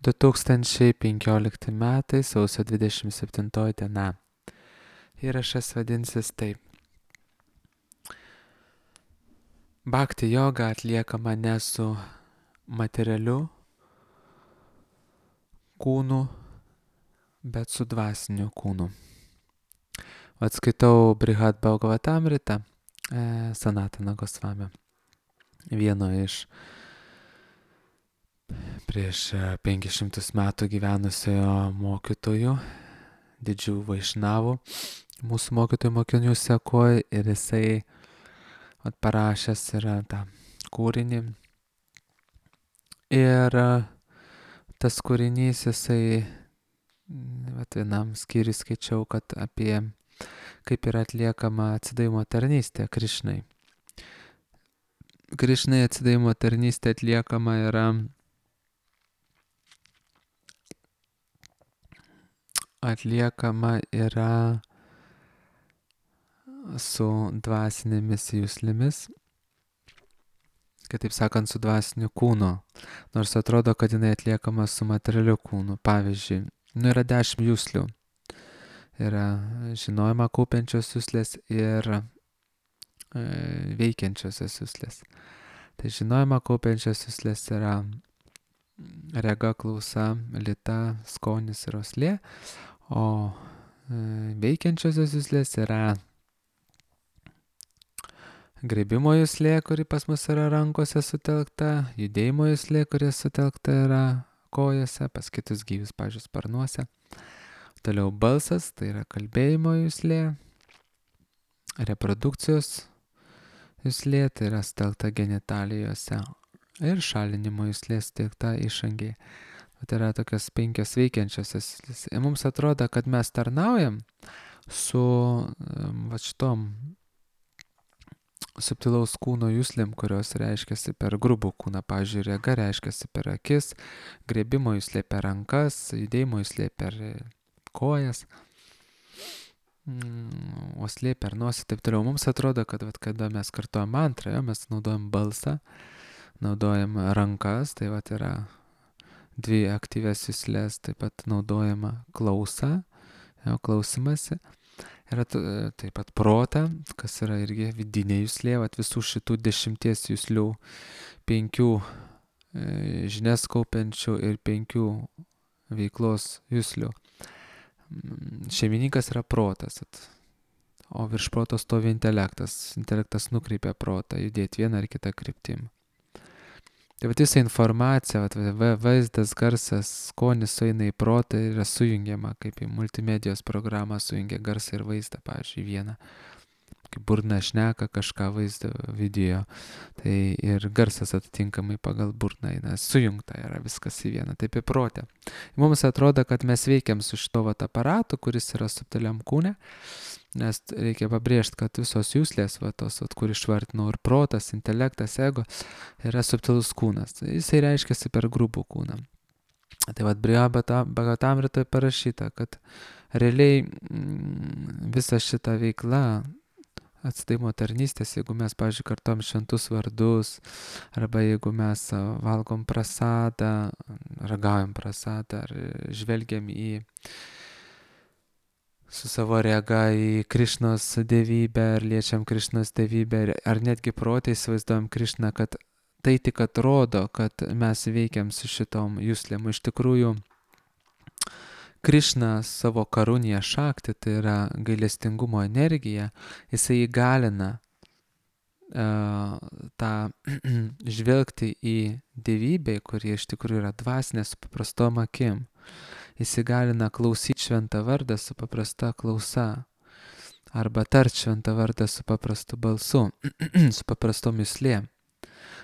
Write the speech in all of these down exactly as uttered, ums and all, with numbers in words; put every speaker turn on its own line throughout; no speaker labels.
du tūkstančiai penkiolikti metai, sausio dvidešimt septintoji diena. Įrašas vadinsis taip. Bhakti joga atliekama ne su materialiu kūnu, bet su dvasiniu kūnu. Atskaitau Brihad Bhagavatamritą e, Sanatana Gosvamio, vieno iš prieš penkis šimtus metų gyvenusiojo mokytojų, didžių vaišnavų, mūsų mokytojų mokinių sekoj, ir jisai parašęs yra tą kūrinį. Ir tas kūrinys, jisai, vat vienam skyriui skaičiau, kad apie kaip yra atliekama atsidavimo tarnystė Krišnai. Krišnai atsidavimo tarnystė atliekama yra atliekama yra su dvasinėmis juslėmis, kitaip sakant, su dvasiniu kūnu, nors atrodo, kad jinai atliekama su materialiu kūnu. Pavyzdžiui, nu yra dešimt juslių. Yra žinojimą kaupiančios juslės ir e, veikiančiosios juslės. Tai žinojimą kaupiančios juslės yra rega, klausa, lyta, skonis ir uoslė, o e, veikiančiosios juslės yra grebimo juslė, kuri pas mus yra rankose sutelkta, judėjimo juslė, kuri sutelkta yra kojose, pas kitus gyvius, pavyzdžiui, sparnuose. Toliau balsas, tai yra kalbėjimo juslė, reprodukcijos juslė, tai yra sutelkta genitalijose, ir šalinimo juslė sutelkta išangėje. Tai yra tokios penkios veikiančiosios juslės. Ir mums atrodo, kad mes tarnaujam su va šitom subtilaus kūno juslėm, kurios reiškiasi per grubų kūną. Pavyzdžiui, rega reiškiasi per akis, grebimo juslė per rankas, judėjimo juslė per kojas, uoslė per nosį, taip toliau. Mums atrodo, kad vat, kada mes kartuojam mantrą, jo, mes naudojam balsą, naudojam rankas, tai vat yra dvi aktyvias juslės, taip pat naudojama klausa, jo, klausimasi. Yra taip pat protą, kas yra irgi vidinė juslė, vat visų šitų dešimties juslių, penkių e, žinias kaupiančių ir penkių veiklos juslių. Šeimininkas yra protas, o virš proto stovi intelektas. Intelektas nukreipia protą judėti vieną ar kitą kryptim. Tai vat visa informacija, vat, vaizdas, garsas, skonis sueina į protą ir yra sujungiama, kaip į multimedijos programą sujungia garsą ir vaizdą, pavyzdžiui, vieną. Kaip burna šneka kažką vaizdą, video, tai ir garsas atitinkamai pagal burną eina, sujungta yra viskas į vieną, taip į protę. Mums atrodo, kad mes veikiam su šito vat aparatu, kuris yra subtiliam kūne, nes reikia pabrėžti, kad visos juslės, va tos, vat, kur išvardinau, ir protas, intelektas, ego, yra subtilus kūnas. Jisai reiškiasi per grubų kūną. Tai vat Bhagavatamritoje parašyta, kad realiai visa šita veikla atsidavimo tarnystės, jeigu mes, pavyzdžiui, kartom šventus vardus, arba jeigu mes valgom prasadą, ragaujam prasadą, ar žvelgiam į su savo rega į Krišnos dievybę, ar liečiam Krišnos dievybę, ar netgi protai įsivaizduojam Krišną, kad tai tik atrodo, kad mes veikiam su šitom juslėm. Iš tikrųjų, Krišna savo karuniją šaktį, tai yra gailestingumo energija, jisai įgalina uh, tą žvelgti į dievybę, kuri iš tikrųjų yra dvasinė su paprastom akim. Jis įgalina klausyti šventą vardą su paprasta klausa, arba tart šventą vardą su paprastu balsu, su paprastom juslėm.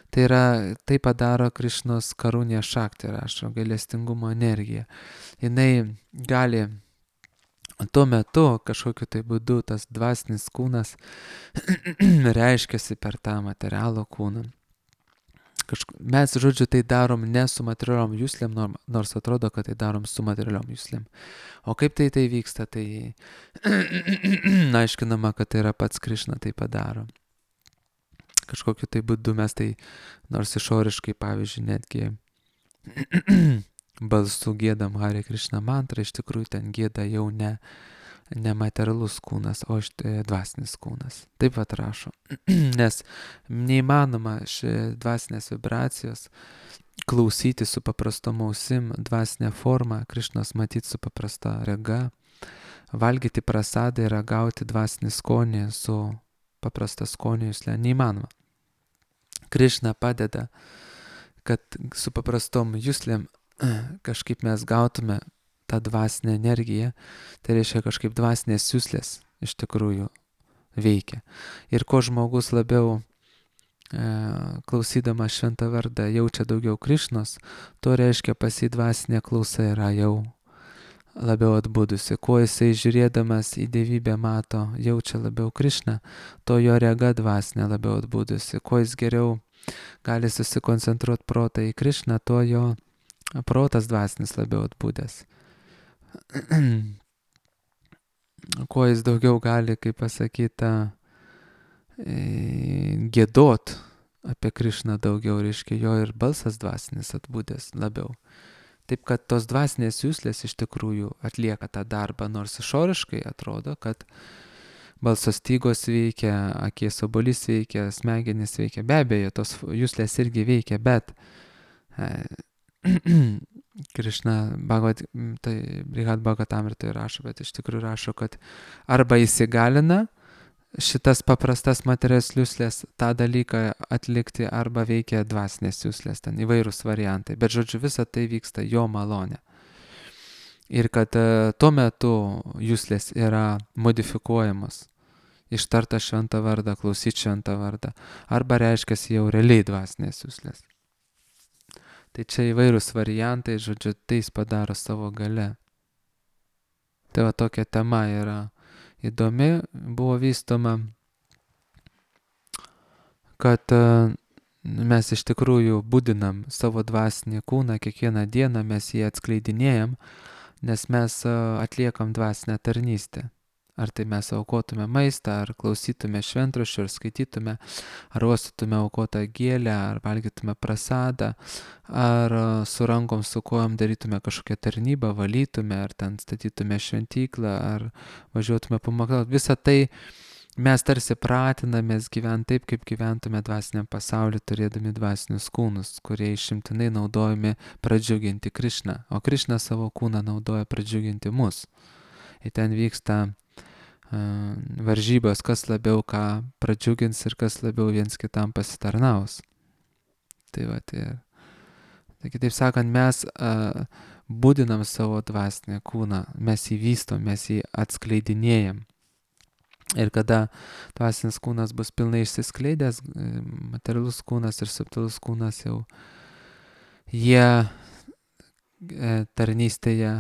Tai yra, tai padaro Krišnos karunė šakti, rašo, gailestingumo energija. Jinai gali tuo metu kažkokiu tai būdu tas dvasinis kūnas reiškiasi per tą materialų kūną. Kažk... Mes, žodžiu, tai darom ne su materialiom juslėm, nors atrodo, kad tai darom su materialiom juslėm. O kaip tai tai vyksta, tai aiškinama, kad tai yra pats Krišna tai padaro. Kažkokiu tai būdu mes tai, nors išoriškai, pavyzdžiui, netgi balsu gėdam Hare Krishna mantrą, iš tikrųjų ten gėda jau ne, ne materialus kūnas, o štai dvasinis kūnas. Taip pat rašo. Nes neįmanoma ši dvasinės vibracijos klausyti su paprastom ausim, dvasinę formą, Krišnos matyti su paprasta rega, valgyti prasadą ir ragauti dvasinį skonį su paprasta skonio jusle. Neįmanoma. Krišna padeda, kad su paprastom juslėm kažkaip mes gautume tą dvasinę energiją, tai reiškia kažkaip dvasinės juslės iš tikrųjų veikia. Ir kuo žmogus labiau e, klausydamas šventą vardą jaučia daugiau Krišnos, to reiškia pas jį dvasinė klausa yra jau labiau atbudusi. Kuo jisai žiūrėdamas į dievybę mato, jaučia labiau Krišną, to jo rega dvasinė labiau atbudusi. Kuo jis geriau gali susikoncentruoti protą į Krišną, tuo jo protas dvasinis labiau atbūdęs. Kuo jis daugiau gali, kaip pasakyta, gėdot apie Krišną daugiau, reiškia jo ir balsas dvasinis atbūdęs labiau. Taip kad tos dvasinės juslės iš tikrųjų atlieka tą darbą, nors išoriškai atrodo, kad balso stygos veikia, akies obuolys veikia, smegenys veikia. Be abejo, tos juslės irgi veikia, bet Krišna Bhagavad, tai Brihad Bhagavatamritoje rašo, bet iš tikrųjų rašo, kad arba įsigalina šitas paprastas materijas juslės tą dalyką atlikti, arba veikia dvasinės juslės, ten įvairūs variantai. Bet žodžiu, visa tai vyksta jo malonė. Ir kad tuo metu juslės yra modifikuojamos, ištarta šventą vardą, klausyti šventą vardą, arba reiškia jau realiai dvasinės juslės. Tai čia įvairūs variantai, žodžiu, tai jis padaro savo gale. Tai va tokia tema yra įdomi, buvo vystoma, kad mes iš tikrųjų budinam savo dvasinį kūną, kiekvieną dieną mes jį atskleidinėjam, nes mes atliekam dvasinę tarnystę. Ar tai mes aukotume maistą, ar klausytume šventraščių, ar skaitytume, ar uostytume aukotą gėlę, ar valgytume prasadą, ar su rankom, su kojom darytume kažkokią tarnybą, valytume, ar ten statytume šventyklą, ar važiuotume pamokslauti. Visą tai mes tarsi pratinamės gyventi taip, kaip gyventume dvasiniam pasauliu, turėdami dvasinius kūnus, kurie išimtinai naudojami pradžiuginti Krišną, o Krišna savo kūną naudoja pradžiuginti mus. Ir ten vyksta uh, varžybos, kas labiau ką pradžiugins ir kas labiau viens kitam pasitarnaus. Tai va, tai, tai kitaip sakant, mes uh, budinam savo dvasinį kūną, mes jį vystom, mes jį atskleidinėjam. Ir kada dvasinis kūnas bus pilnai išsiskleidęs, materialus kūnas ir subtilus kūnas jau, jie tarnystėje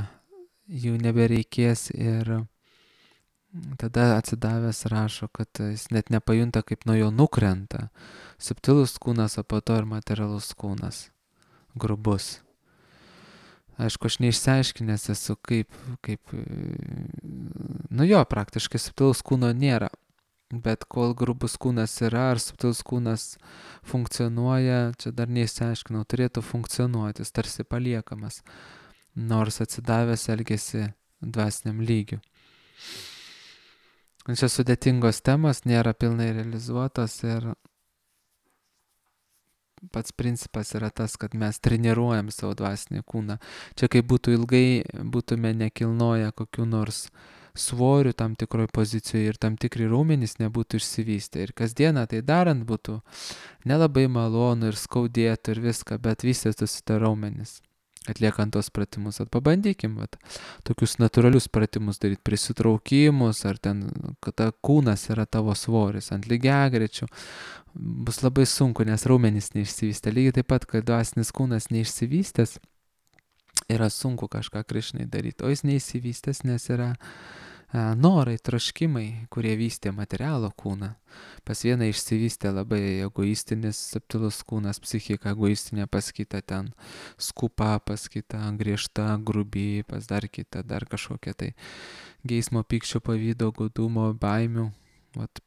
jų nebereikės ir tada atsidavęs rašo, kad jis net nepajunta, kaip nuo jo nukrenta subtilus kūnas, o po to ir materialus kūnas, grubus. Aišku, aš neišsiaiškinęs esu, kaip, kaip, nu jo, praktiškai subtilus kūno nėra, bet kol grubus kūnas yra, ar subtilus kūnas funkcionuoja, čia dar neišsiaiškinau, turėtų funkcionuoti, jis tarsi paliekamas, nors atsidavęs elgesi dvasiniam lygiu. Čia sudėtingos temos, nėra pilnai realizuotos ir pats principas yra tas, kad mes treniruojam savo dvasinį kūną. Čia kaip būtų ilgai, būtume nekilnoję kokių nors svorių tam tikroj pozicijoje ir tam tikri raumenys nebūtų išsivystę. Ir kasdieną tai darant būtų nelabai malonu ir skaudėtų ir viską, bet vystytųsi tie raumenys, atliekant tos pratimus. At pabandykim, vat, tokius natūralius pratimus daryti, prisitraukimus, ar ten, kada kūnas yra tavo svoris ant lygiagrečių. Bus labai sunku, nes raumenys neišsivystė. Lygiai taip pat, kad dvasinis kūnas neišsivystęs, yra sunku kažką Krišnai daryti. O jis neišsivystęs, nes yra a, norai, troškimai, kurie vystė materialo kūną. Pas vieną išsivystė labai egoistinis, subtilus kūnas, psichika egoistinė, pas kitą ten skupa, pas kitą griežta, grubi, pas dar kitą, dar kažkokia tai geismo, pykčio, pavydo, godumo, baimių. Vat,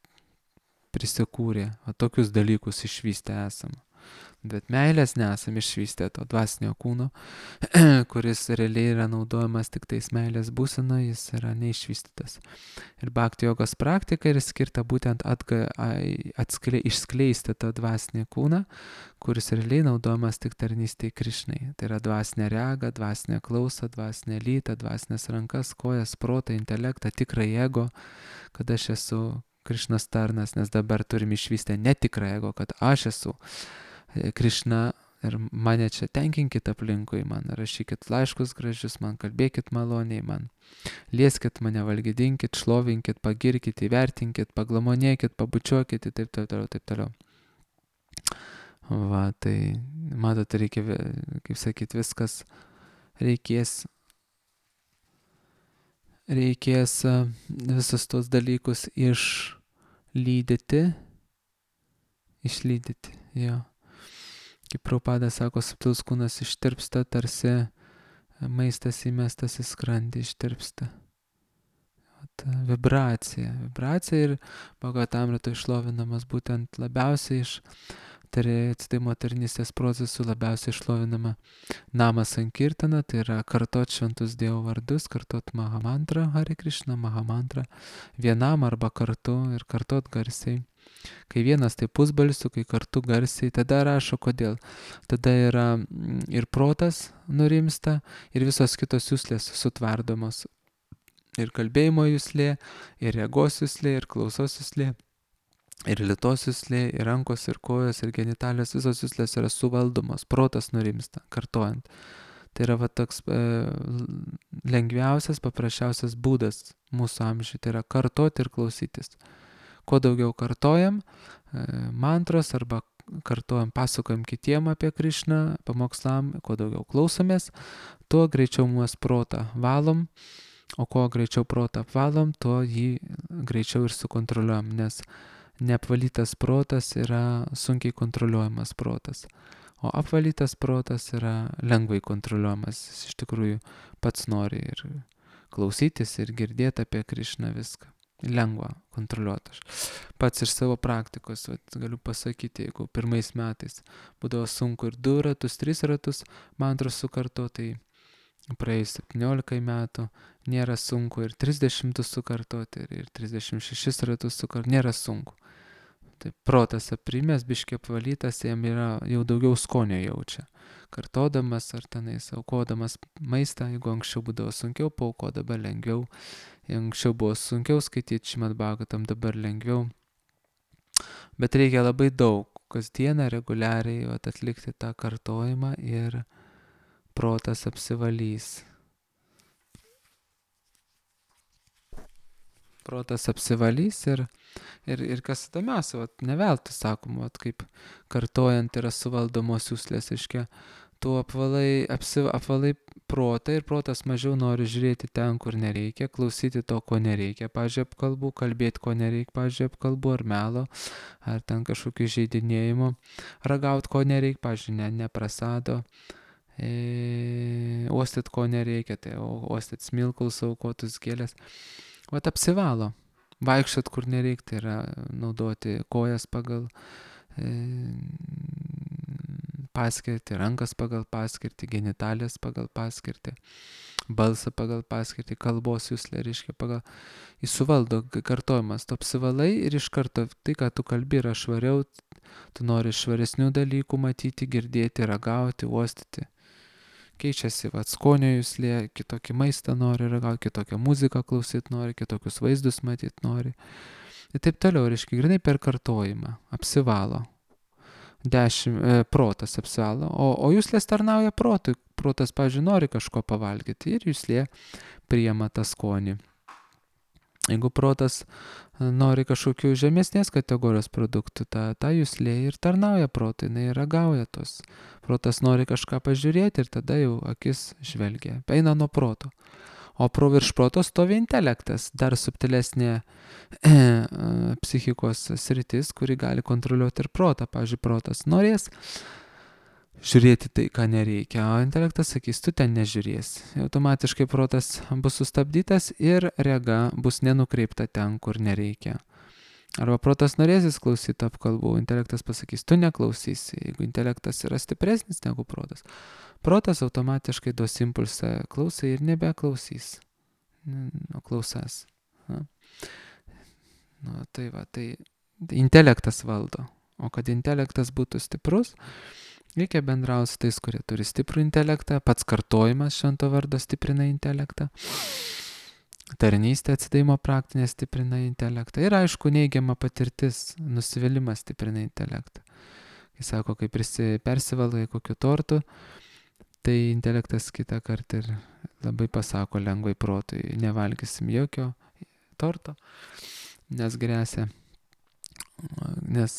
prisikūrė, o tokius dalykus išvystę esam. Bet meilės nesam išvystę to dvasinio kūno, kuris realiai yra naudojamas tik tais meilės būsena, jis yra neišvystytas. Ir bhakti jogos praktika yra skirta būtent atga, atskle, išskleisti tą dvasinį kūną, kuris realiai naudojamas tik tarnystėje Krišnai. Tai yra dvasinė rega, dvasinė klausa, dvasinė lyta, dvasinės rankas, kojas, protą, intelektą, tikrą ego, kad aš esu Krišnos tarnas, nes dabar turim išvystę netikrą ego, kad aš esu Krišna ir mane čia tenkinkit aplinkui, man rašykit laiškus gražius, man kalbėkit maloniai, man lieskit mane, valgydinkit, šlovinkit, pagirkit, įvertinkit, paglamonėkit, pabučiuokit ir taip toliau, taip toliau. Va, tai matot, reikia, kaip sakyt, viskas reikės, reikės visus tos dalykus išlydyti, išlydyti, jo. Kaip Prabhupada sako, subtilus kūnas ištirpsta, tarsi maistas įmestas į skrandį ištirpsta. Ta vibracija. Vibracija ir Bhagavatamrito išlovinamas būtent labiausiai iš atsidavimo tarnystės procesų, labiausiai išlovinama nama sankirtana, tai yra kartot šventus Dievo vardus, kartot Mahamantrą, Hare Krishna, Mahamantrą, vienam arba kartu ir kartot garsiai. Kai vienas tai pusbalsiu, kai kartu garsiai, tada rašo kodėl. Tada yra ir protas nurimsta, ir visos kitos juslės sutvardomos. Ir kalbėjimo juslė, ir regos juslė, ir klausos juslė, ir lytos juslė, ir rankos, ir kojos, ir genitalijos, visos juslės yra suvaldomos. Protas nurimsta, kartojant. Tai yra va toks e, lengviausias, paprasčiausias būdas mūsų amžiui. Tai yra kartoti ir klausytis. Kuo daugiau kartojam mantros arba kartojam, pasakojam kitiem apie Krišną, pamokslam, kuo daugiau klausomės, tuo greičiau mūsų protą valom, o kuo greičiau protą apvalom, tuo jį greičiau ir sukontroliuojam, nes neapvalytas protas yra sunkiai kontroliuojamas protas, o apvalytas protas yra lengvai kontroliuojamas, jis iš tikrųjų pats nori ir klausytis ir girdėti apie Krišną viską. Lengva kontroliuoti. Aš pats iš savo praktikos vat, galiu pasakyti, jeigu pirmais metais būdavo sunku ir du ratus, tris ratus mantros sukarto, tai praėjus septyniolika metų nėra sunku ir trisdešimt sukartoti, ir, ir trisdešimt šešis ratus sukartoti, nėra sunku. Tai protas aprimęs, biškiai apvalytas, jam yra jau daugiau skonio jaučia. Kartodamas ar tenais aukodamas maistą, jeigu anksčiau būdavo sunkiau, pauko dabar lengviau. Anksčiau buvo sunkiau skaityti Šrimad Bhagavatam, dabar lengviau. Bet reikia labai daug, kasdieną reguliariai vat, atlikti tą kartojimą ir protas apsivalys. Protas apsivalys ir, ir, ir kas įdomiausia, vat, neveltui sakoma, vat, kaip kartojant yra suvaldomos juslės, aiškia, tu apvalai, apsi, apvalai protą ir protas mažiau nori žiūrėti ten, kur nereikia, klausyti to, ko nereikia, pavyzdžiui, apkalbų, kalbėti, ko nereikia, pavyzdžiui, apkalbų ar melo, ar ten kažkokių žaidinėjimų, ragauti, ko nereikia, pavyzdžiui, ne, neprasado, e, uostyti, ko nereikia, tai uostyti smilkalus, aukotus gėlės. Vat apsivalo, vaikščiot kur nereikia, tai yra naudoti kojas pagal e, paskirtį, rankas pagal paskirtį, genitalės pagal paskirtį, balsą pagal paskirtį, kalbos juslę, reiškia pagal, jis suvaldo kartojimas, tu apsivalai ir iš karto tai, ką tu kalbi, yra švariau, tu nori švaresnių dalykų matyti, girdėti, ragauti, uostyti. Keičiasi, va, skonio juslė, kitokį maistą nori ragauti, kitokią muziką klausyti nori, kitokius vaizdus matyti nori. Ir taip toliau, reiškia, grinai per kartojimą, apsivalo. Dešimt, e, protas apsivalo, o, o juslės tarnauja protui. Protas, pavyzdžiui, nori kažko pavalgyti ir juslė priima tą skonį. Jeigu protas nori kažkokių žemesnės kategorijos produktų, ta, ta juslė ir tarnauja protui, jinai ragauja tos. Protas nori kažką pažiūrėti ir tada jau akis žvelgia, eina nuo proto. O pro virš proto stovi intelektas, dar subtilesnė e, psichikos sritis, kuri gali kontroliuoti ir protą. Pavyzdžiui, protas norės žiūrėti tai, ką nereikia, o intelektas sakys, tu ten nežiūrėsi. Automatiškai protas bus sustabdytas ir rega bus nenukreipta ten, kur nereikia. Arba protas norėsis klausyti apkalbų, intelektas pasakys, tu neklausysi. Jeigu intelektas yra stipresnis negu protas, protas automatiškai duos impulsą klausai ir nebeklausys. Nu, klausas. Na. Nu, tai va, tai intelektas valdo. O kad intelektas būtų stiprus, reikia bendrauti su tais, kurie turi stiprų intelektą. Pats kartojimas švento vardo stiprina intelektą. Tarnystė atsidavimo praktinė stiprina intelektą. Ir aišku, neigiama patirtis, nusivylimas stiprina intelektą. Kai sako, kai prisi, persivalgai kokiu tortu, tai intelektas kitą kartą ir labai pasako lengvai protui, nevalgysim jokio torto, nes grėsia, nes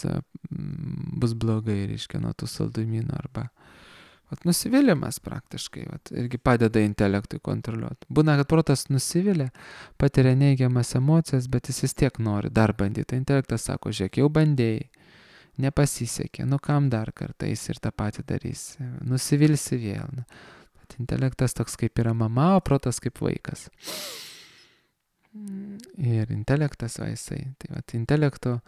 bus blogai, reiškia, nuo tų saldumynų arba vat, nusivylimas praktiškai vat, irgi padeda intelektui kontroliuoti. Būna, kad protas nusivilia, patiria neigiamas emocijas, bet jis vis tiek nori dar bandyti. Intelektas sako, žiūrėk, jau bandėjai, nepasisekė, nu kam dar kartą eis ir tą patį darys, nusivilsi vėl. Bet intelektas toks kaip yra mama, o protas kaip vaikas. Ir intelektas va jisai. Tai va, intelekto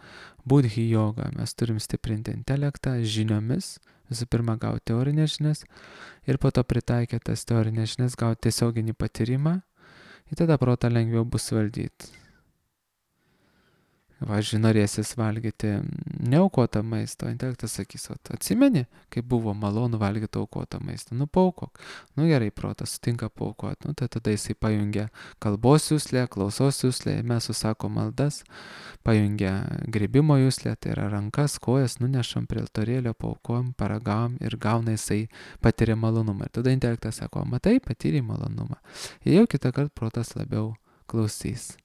budhi joga. Mes turim stiprinti intelektą žiniomis. Visų pirma, gauti teorinės žinias ir po to pritaikę tas teorinės žinias, gauti tiesioginį patyrimą ir tada protą lengviau bus valdyti. Važiuoju, norėsis valgyti neaukotą maistą, intelektas sakys, atsimeni, kaip buvo malonu valgyti aukotą maistą, nu paaukok. Nu gerai, protas sutinka paaukoti, nu tai tada jisai pajungia kalbos juslę, klausos juslę, mes susako maldas, pajungia gribimo juslę, tai yra rankas, kojas, nunešam prie altorėlio, paaukojam, paragavom ir gauna jisai patiria malonumą. Ir tada intelektas sako, matai, patyrė malonumą. Ir jau kitą kartą protas labiau klausys.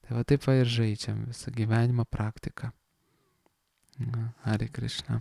Tai va taip va ir žaidžiam visą gyvenimo praktiką. Hare Krishna.